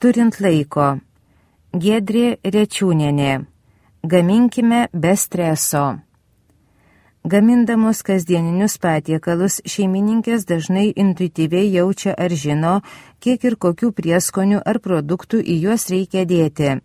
Turint laiko. Giedrė Rečiūnienė. Gaminkime be streso. Gamindamos kasdieninius patiekalus, šeimininkės dažnai intuityviai jaučia ar žino, kiek ir kokių prieskonių ar produktų į juos reikia dėti.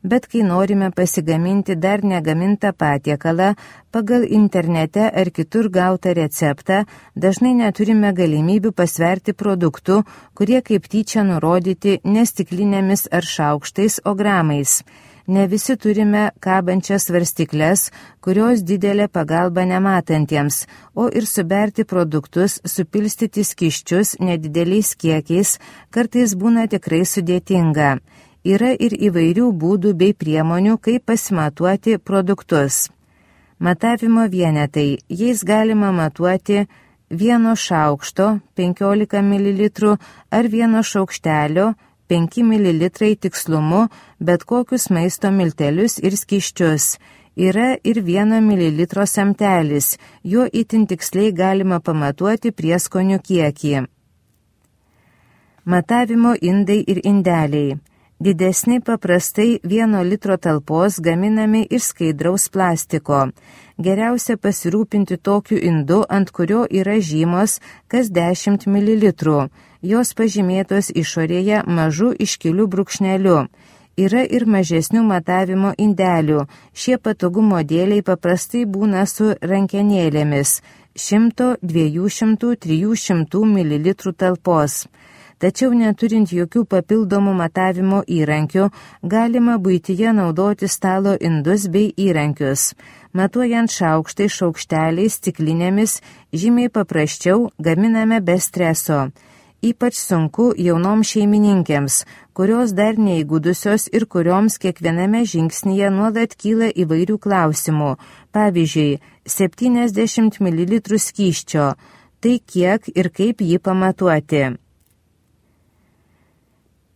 Bet kai norime pasigaminti dar negamintą patiekalą, pagal internete ar kitur gautą receptą, dažnai neturime galimybių pasverti produktų, kurie kaip tyčia nurodyti ne stiklinėmis ar šaukštais, o gramais. Ne visi turime kabančias svarstyklės, kurios didelė pagalba nematantiems, o ir suberti produktus, supilstyti skysčius nedideliais kiekiais, kartais būna tikrai sudėtinga. Yra ir įvairių būdų bei priemonių, kaip pasimatuoti produktus. Matavimo vienetai. Jais galima matuoti 1 šaukšto 15 ml ar 1 šaukštelio 5 ml tikslumu bet kokius maisto miltelius ir skysčius. Yra ir 1 ml samtelis, juo itin tiksliai galima pamatuoti prieskonių kiekį. Matavimo indai ir indeliai. Didesni paprastai 1 litro talpos gaminami iš skaidraus plastiko. Geriausia pasirūpinti tokiu indu, ant kurio yra žymos kas 10 ml. Jos pažymėtos išorėje mažu iškiliu brūkšneliu. Yra ir mažesnių matavimo indelių. Šie patogumo dėliai paprastai būna su rankenėlėmis 100, 200, 300 ml talpos. Tačiau neturint jokių papildomų matavimo įrankių, galima buityje naudoti stalo indus bei įrankius. Matuojant šaukštai, šaukšteliais, stiklinėmis, žymiai paprasčiau gaminame be streso. Ypač sunku jaunoms šeimininkėms, kurios dar neįgudusios ir kurioms kiekviename žingsnyje nuolat kyla įvairių klausimų. Pavyzdžiui, 70 ml skysčio. Tai kiek ir kaip jį pamatuoti?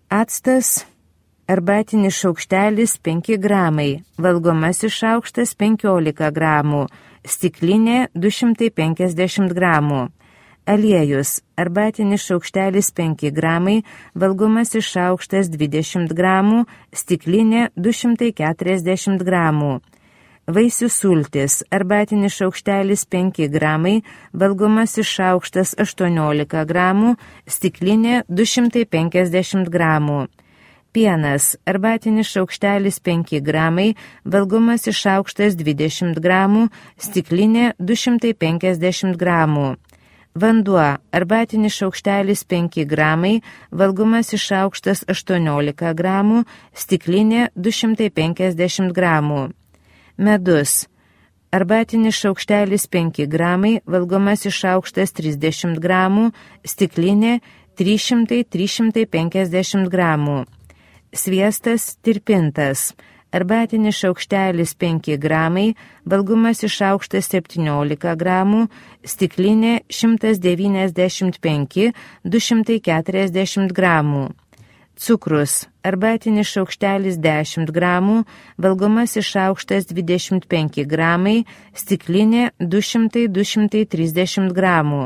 Actas, arbatinis šaukštelis 5 gramai, valgomasis šaukštas 15 gramų, stiklinė 250 gramų. Aliejus, arbatinis šaukštelis 5 gramai, valgomasis šaukštas 20 gramų, stiklinė 240 gramų. Vaisių sultis, arbatinis šaukštelis 5 gramai, valgomasis šaukštas 18 gramų, stiklinė 250 gramų. Pienas, arbatinis šaukštelis 5 gramai, valgomasis šaukštas 20 gramų, stiklinė 250 gramų. Vanduo, arbatinis šaukštelis 5 gramai, valgomasis šaukštas 18 gramų, stiklinė 250 gramų. Medus, arbatinis šaukštelis 5 gramai, valgomasis šaukštas 30 gramų, stiklinė 300-350 gramų. Sviestas tirpintas, arbatinis šaukštelis 5 gramai, valgomasis šaukštas 17 gramų, stiklinė 195-240 gramų. Cukrus, arbatinis šaukštelis 10 gramų, valgomasis šaukštas 25 gramai, stiklinė 200-230 gramų.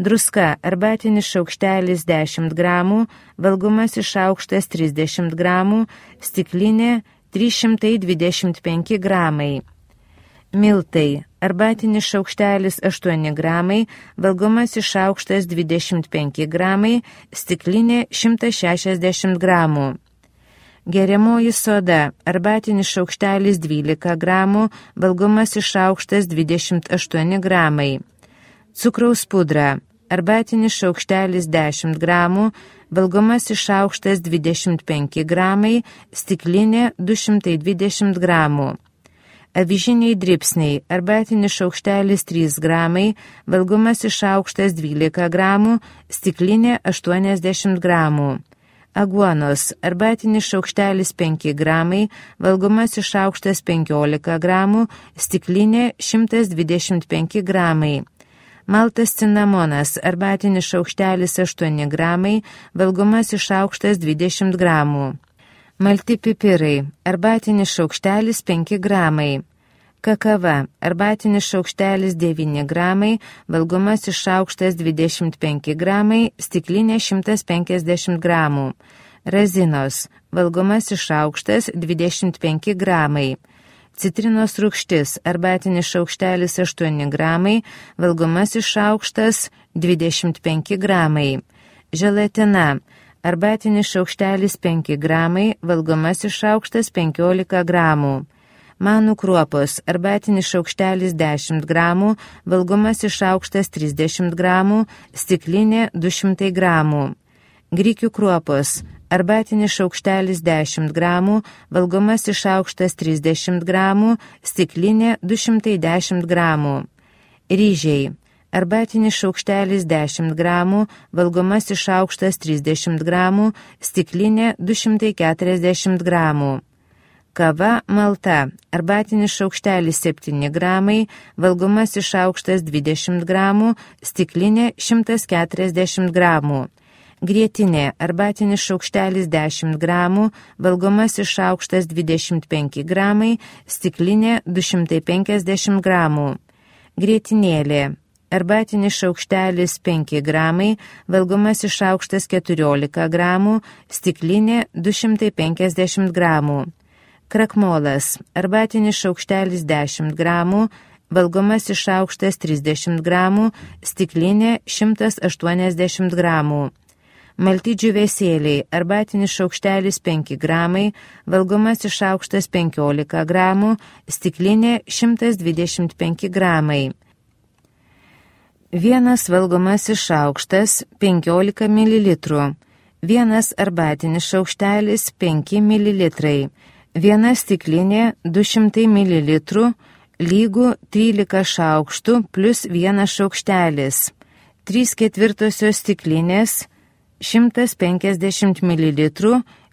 Druska, arbatinis šaukštelis 10 gramų, valgomasis šaukštas 30 gramų, stiklinė 325 gramai. Miltai, arbatinis šaukštelis 8 gramai, valgomasis šaukštas 25 gramai, stiklinė 160 gramų. Geriamoji soda, arbatinis šaukštelis 12 gramų, valgomasis šaukštas 28 gramai. Cukraus pudra, arbatinis šaukštelis 10 gramų, valgomasis šaukštas 25 gramai, stiklinė 220 gramų. Avižiniai dribsniai, arbatinis šaukštelis 3 gramai, valgomasis šaukštas 12 gramų, stiklinė 80 gramų. Aguonos, arbatinis šaukštelis 5 gramai, valgomasis šaukštas 15 gramų, stiklinė 125 gramai. Maltas cinamonas, arbatinis šaukštelis 8 gramai, valgomasis šaukštas 20 gramų. Malti pipirai, arbatinis šaukštelis 5 gramai. Kakava, arbatinis šaukštelis 9 gramai, valgomasis šaukštas 25 gramai, stiklinė 150 gramų. razinos, valgomasis šaukštas 25 gramai, citrinos rūgštis, arbatinis šaukštelis 8 gramai, valgomasis šaukštas 25 gramai, želatina, arbatinis šaukštelis 5 gramai, valgomasis šaukštas 15 gramų, manų kruopos, arbatinis šaukštelis 10 gramų, valgomasis šaukštas 30 gramų, stiklinė 200 gramų, grikių kruopos, arbatinis šaukštelis 10 gramų, valgomasis šaukštas 30 gramų, stiklinė 210 gramų, ryžiai, arbatinis šaukštelis 10 gramų, valgomasis šaukštas 30 gramų, stiklinė 240 gramų. Kava malta, arbatinis šaukštelis 7 gramai, valgomasis šaukštas 20 gramų, stiklinė 140 gramų. Grietinė, arbatinis šaukštelis 10 gramų, valgomasis šaukštas 25 gramai, stiklinė 250 gramų. Grietinėlė, arbatinis šaukštelis 5 gramai, valgomasis šaukštas 14 gramų, stiklinė 250 gramų. Krakmolas, arbatinis šaukštelis 10 gramų, valgomasis šaukštas 30 gramų, stiklinė 180 gramų. Malti džiūvėsėliai, arbatinis šaukštelis 5 gramai, valgomasis šaukštas 15 gramų, stiklinė 125 gramai. Vienas valgomasis šaukštas 15 ml, vienas arbatinis šaukštelis 5 ml. Viena stiklinė 200 ml lygų 13 šaukštų plus vienas šaukštelis. 3/4 stiklinės 150 ml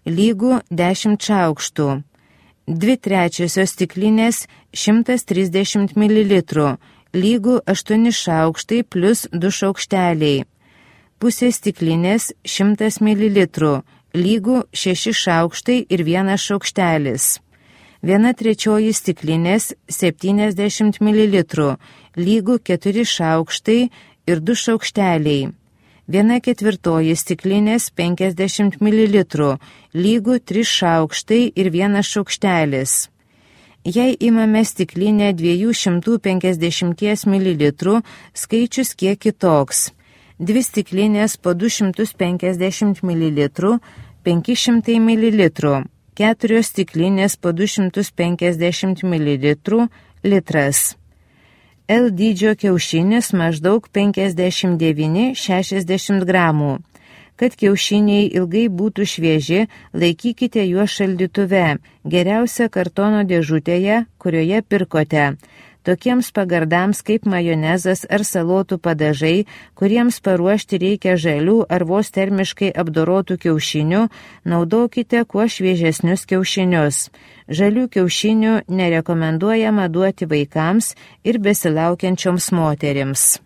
lygų 10 šaukštų. 2/3 stiklinės 130 ml lygų 8 šaukštai plus 2 šaukšteliai. Pusė stiklinės 100 ml lygų 6 šaukštai ir 1 šaukštelis. 1/3 stiklinės 70 ml lygų 4 šaukštai ir 2 šaukšteliai. 1/4 stiklinės 50 ml lygų 3 šaukštai ir 1 šaukštelis. Jei imame stiklinę 250 ml, skaičius kiek kitoks. 2 stiklinės po 250 ml, 500 ml, 4 stiklinės po 250 ml, litras. L dydžio kiaušinis maždaug 59-60 gramų. Kad kiaušiniai ilgai būtų švieži, laikykite juos šaldytuve, geriausia kartono dėžutėje, kurioje pirkote. Tokiems pagardams kaip majonezas ar salotų padažai, kuriems paruošti reikia žalių ar vos termiškai apdorotų kiaušinių, naudokite kuo šviežesnius kiaušinius. Žalių kiaušinių nerekomenduojama duoti vaikams ir besilaukiančioms moterims.